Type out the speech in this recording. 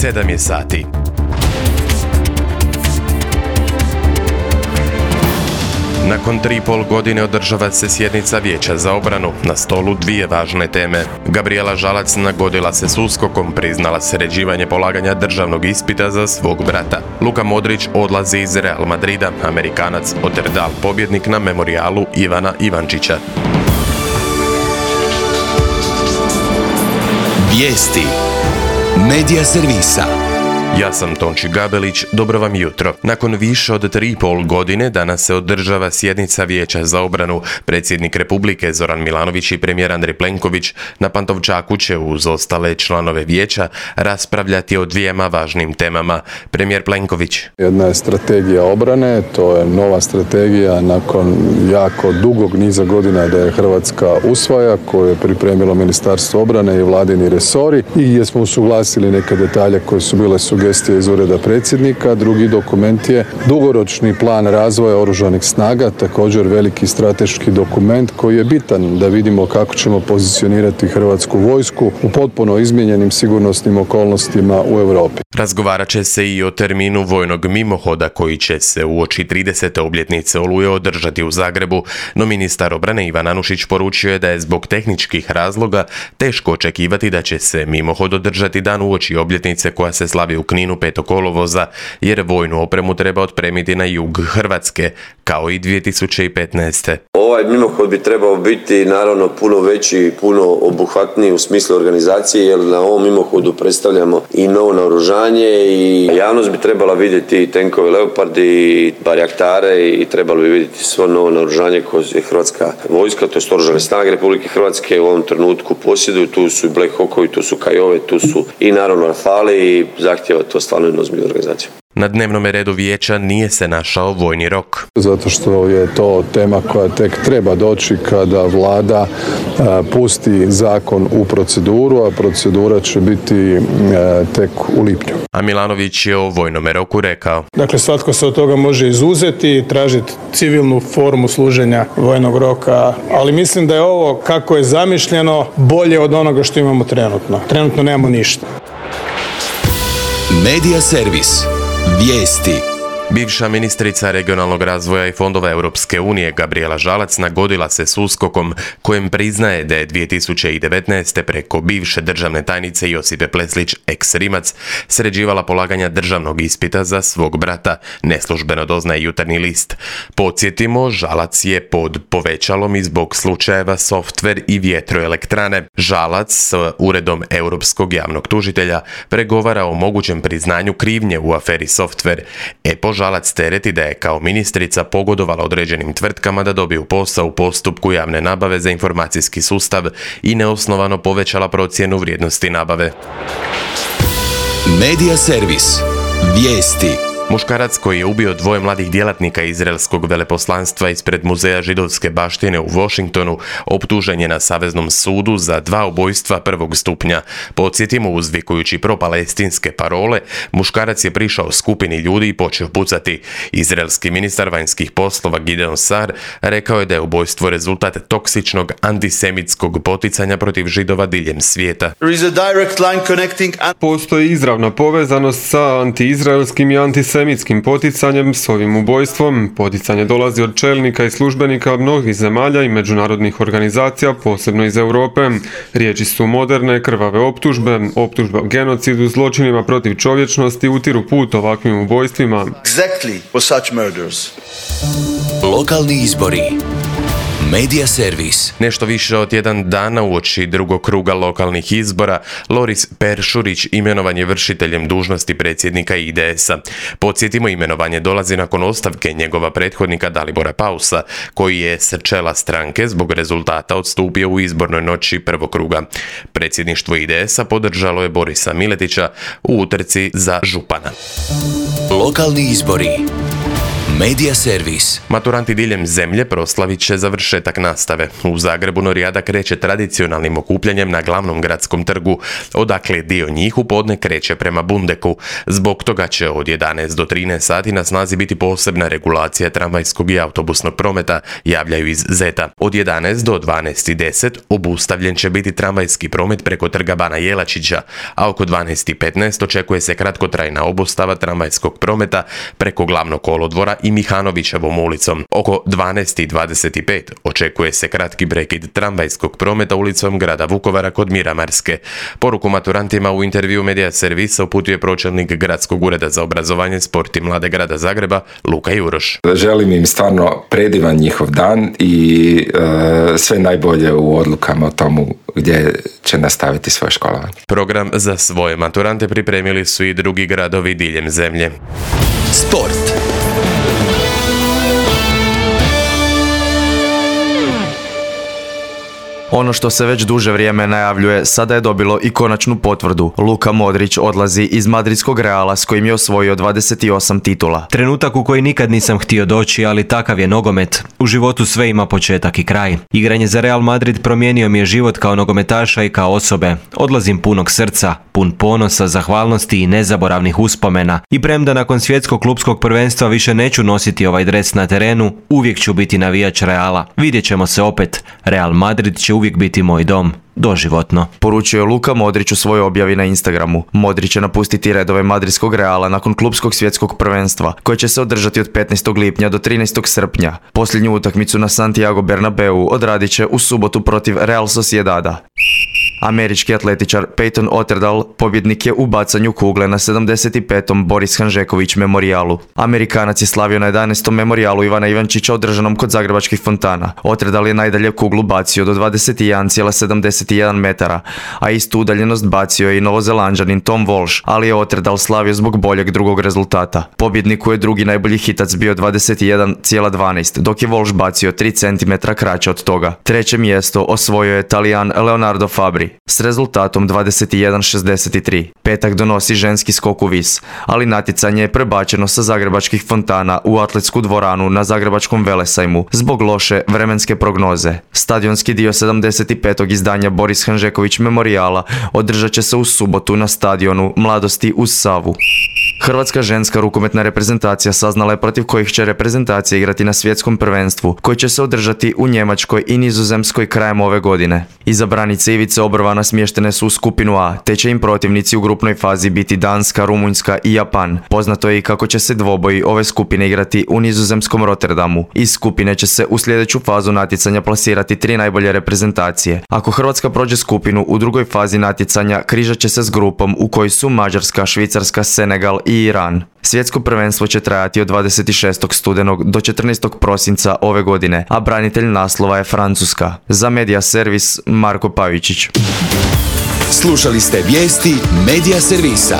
7 je sati. Nakon 3,5 godine održava se sjednica Vijeća za obranu, na stolu dvije važne teme. Gabrijela Žalac nagodila se s USKOK-om, priznala sređivanje polaganja državnog ispita za svog brata. Luka Modrić odlazi iz Real Madrida, Amerikanac Otterdal pobjednik na memorijalu Ivana Ivančića. Vijesti Medija servisa. Ja sam Tonči Gabelić, dobro vam jutro. Nakon više od 3,5 godine danas se održava sjednica Vijeća za obranu. Predsjednik Republike Zoran Milanović i premijer Andrej Plenković na Pantovčaku će uz ostale članove vijeća raspravljati o dvijema važnim temama. Premijer Plenković. Jedna je strategija obrane, to je nova strategija nakon jako dugog niza godina da je Hrvatska usvaja, koju je pripremilo Ministarstvo obrane i vladini resori i gdje smo usuglasili neke detalje koje su bile sugestije iz ureda predsjednika. Drugi dokument je dugoročni plan razvoja oružanih snaga, također veliki strateški dokument koji je bitan da vidimo kako ćemo pozicionirati Hrvatsku vojsku u potpuno izmijenjenim sigurnosnim okolnostima u Europi. Razgovarat će se i o terminu vojnog mimohoda koji će se uoči 30. obljetnice Oluje održati u Zagrebu, no ministar obrane Ivan Anušić poručio je da je zbog tehničkih razloga teško očekivati da će se mimohod održati dan uoči obljetnice koja se slavi u Kninu 5. kolovoza, jer vojnu opremu treba otpremiti na jug Hrvatske, kao i 2015. Ovaj mimohod bi trebao biti naravno puno veći, puno obuhvatniji u smislu organizacije, jer na ovom mimohodu predstavljamo i novo naoružanje i javnost bi trebala vidjeti tenkove Leopardi i barjaktare i trebalo bi vidjeti svo novo naoružanje koje je Hrvatska vojska, to je Oružane snage Republike Hrvatske u ovom trenutku posjeduju. Tu su i Black Hawkovi, tu su Kajove, tu su i naravno Rafali i zahtjeva to stvarno jednu ozbiljnu organizaciju. Na dnevnom redu vijeća nije se našao vojni rok. Zato što je to tema koja tek treba doći kada vlada pusti zakon u proceduru, a procedura će biti tek u lipnju. A Milanović je o vojnom roku rekao. Dakle, svatko se od toga može izuzeti i tražiti civilnu formu služenja vojnog roka, ali mislim da je ovo kako je zamišljeno bolje od onoga što imamo trenutno. Trenutno nemamo ništa. Medija servis. Vijesti. Bivša ministrica regionalnog razvoja i fondova Europske unije Gabrijela Žalac nagodila se s USKOK-om, kojem priznaje da je 2019. preko bivše državne tajnice Josipe Pleslić, ex-Rimac, sređivala polaganja državnog ispita za svog brata, neslužbeno doznaje Jutarnji list. Podsjetimo, Žalac je pod povećalom i zbog slučajeva softver i vjetroelektrane. Žalac s Uredom Europskog javnog tužitelja pregovara o mogućem priznanju krivnje u aferi softver. Žalac tereti da je kao ministrica pogodovala određenim tvrtkama da dobiju posao u postupku javne nabave za informacijski sustav i neosnovano povećala procjenu vrijednosti nabave. Medija servis. Vijesti. Muškarac koji je ubio 2 mladih djelatnika izraelskog veleposlanstva ispred Muzeja židovske baštine u Washingtonu optužen je na Saveznom sudu za 2 ubojstva prvog stupnja. Podsjetimo, uzvikujući propalestinske parole, muškarac je prišao skupini ljudi i počeo pucati. Izraelski ministar vanjskih poslova Gideon Sar rekao je da je ubojstvo rezultat toksičnog antisemitskog poticanja protiv Židova diljem svijeta. Postoji izravna povezanost sa antiizraelskim i antisemitskim poticanjem s ovim ubojstvom. Poticanje dolazi od čelnika i službenika mnogih zemalja i međunarodnih organizacija, posebno iz Europe. Riječi su moderne, krvave optužbe o genocidu, zločinima protiv čovječnosti utiru put ovakvim ubojstvima. Lokalni izbori. Medija servis. Nešto više od 1 dana uoči drugog kruga lokalnih izbora, Loris Peršurić imenovan je vršiteljem dužnosti predsjednika IDS-a. Podsjetimo, imenovanje dolazi nakon ostavke njegova prethodnika Dalibora Pausa, koji je s čela stranke zbog rezultata odstupio u izbornoj noći prvog kruga. Predsjedništvo IDS-a podržalo je Borisa Miletića u utrci za župana. Lokalni izbori. Medija servis. Maturanti diljem zemlje proslavit će završetak nastave. U Zagrebu Norijada kreće tradicionalnim okupljanjem na glavnom gradskom trgu, odakle dio njih u podne kreće prema Bundeku. Zbog toga će od 11 do 13 sati na snazi biti posebna regulacija tramvajskog i autobusnog prometa, javljaju iz Zeta. Od 11 do 12:10 obustavljen će biti tramvajski promet preko trga Bana Jelačića, a oko 12:15 očekuje se kratkotrajna obustava tramvajskog prometa preko glavnog kolodvora i Mihanovićevom ulicom. Oko 12:25 očekuje se kratki prekid tramvajskog prometa ulicom grada Vukovara kod Miramarske. Poruku maturantima u intervju Medija servisa uputio pročelnik Gradskog ureda za obrazovanje, sport i mlade grada Zagreba Luka Juroš. Želim im stvarno predivan njihov dan i sve najbolje u odlukama o tomu gdje će nastaviti svoje školovanje. Program za svoje maturante pripremili su i drugi gradovi diljem zemlje. Sport. Ono što se već duže vrijeme najavljuje, sada je dobilo i konačnu potvrdu. Luka Modrić odlazi iz madridskog Reala s kojim je osvojio 28 titula. Trenutak u koji nikad nisam htio doći, ali takav je nogomet. U životu sve ima početak i kraj. Igranje za Real Madrid promijenio mi je život kao nogometaša i kao osobe. Odlazim punog srca, pun ponosa, zahvalnosti i nezaboravnih uspomena. I premda nakon svjetskog klupskog prvenstva više neću nositi ovaj dres na terenu, uvijek ću biti navijač Reala. Vidjet ćemo se opet. Real Madrid će uvijek biti moj dom. Doživotno. Poručio je Luka Modrić u svojoj objavi na Instagramu. Modrić će napustiti redove madridskog Reala nakon klupskog svjetskog prvenstva, koje će se održati od 15. lipnja do 13. srpnja. Posljednju utakmicu na Santiago Bernabeu odradit će u subotu protiv Real Sociedada. Američki atletičar Peyton Otterdal pobjednik je u bacanju kugle na 75. Boris Hanžeković memorijalu. Amerikanac je slavio na 11. memorijalu Ivana Ivančića održanom kod zagrebačkih fontana. Otterdal je najdalje kuglu bacio do 21,71 metara, a istu udaljenost bacio je i Novozelanđanin Tom Walsh, ali je Otterdal slavio zbog boljeg drugog rezultata. Pobjedniku je drugi najbolji hitac bio 21,12, dok je Walsh bacio 3 cm kraće od toga. Treće mjesto osvojio je Talijan Leonardo Fabri s rezultatom 21,63. Petak donosi ženski skok u vis, ali natjecanje je prebačeno sa zagrebačkih fontana u atletsku dvoranu na Zagrebačkom Velesajmu zbog loše vremenske prognoze. Stadionski dio 75. izdanja Boris Hanžeković memorijala održat će se u subotu na stadionu Mladosti uz Savu. Hrvatska ženska rukometna reprezentacija saznala je protiv kojih će reprezentacije igrati na svjetskom prvenstvu, koji će se održati u Njemačkoj i Nizozemskoj krajem ove godine. Izabranice Ivice Obrovana smještene su u skupinu A, te će im protivnici u grupnoj fazi biti Danska, Rumunjska i Japan. Poznato je i kako će se dvoboji ove skupine igrati u nizozemskom Rotterdamu. Iz skupine će se u sljedeću fazu natjecanja plasirati 3 najbolje reprezentacije. Ako Hrvatska prođe skupinu, u drugoj fazi natjecanja križat će se s grupom u kojoj su Mađarska, Švicarska, Senegal i Iran. Svjetsko prvenstvo će trajati od 26. studenog do 14. prosinca ove godine, a branitelj naslova je Francuska. Za Medija servis Marko Pavičić. Slušali ste vijesti Medija servisa.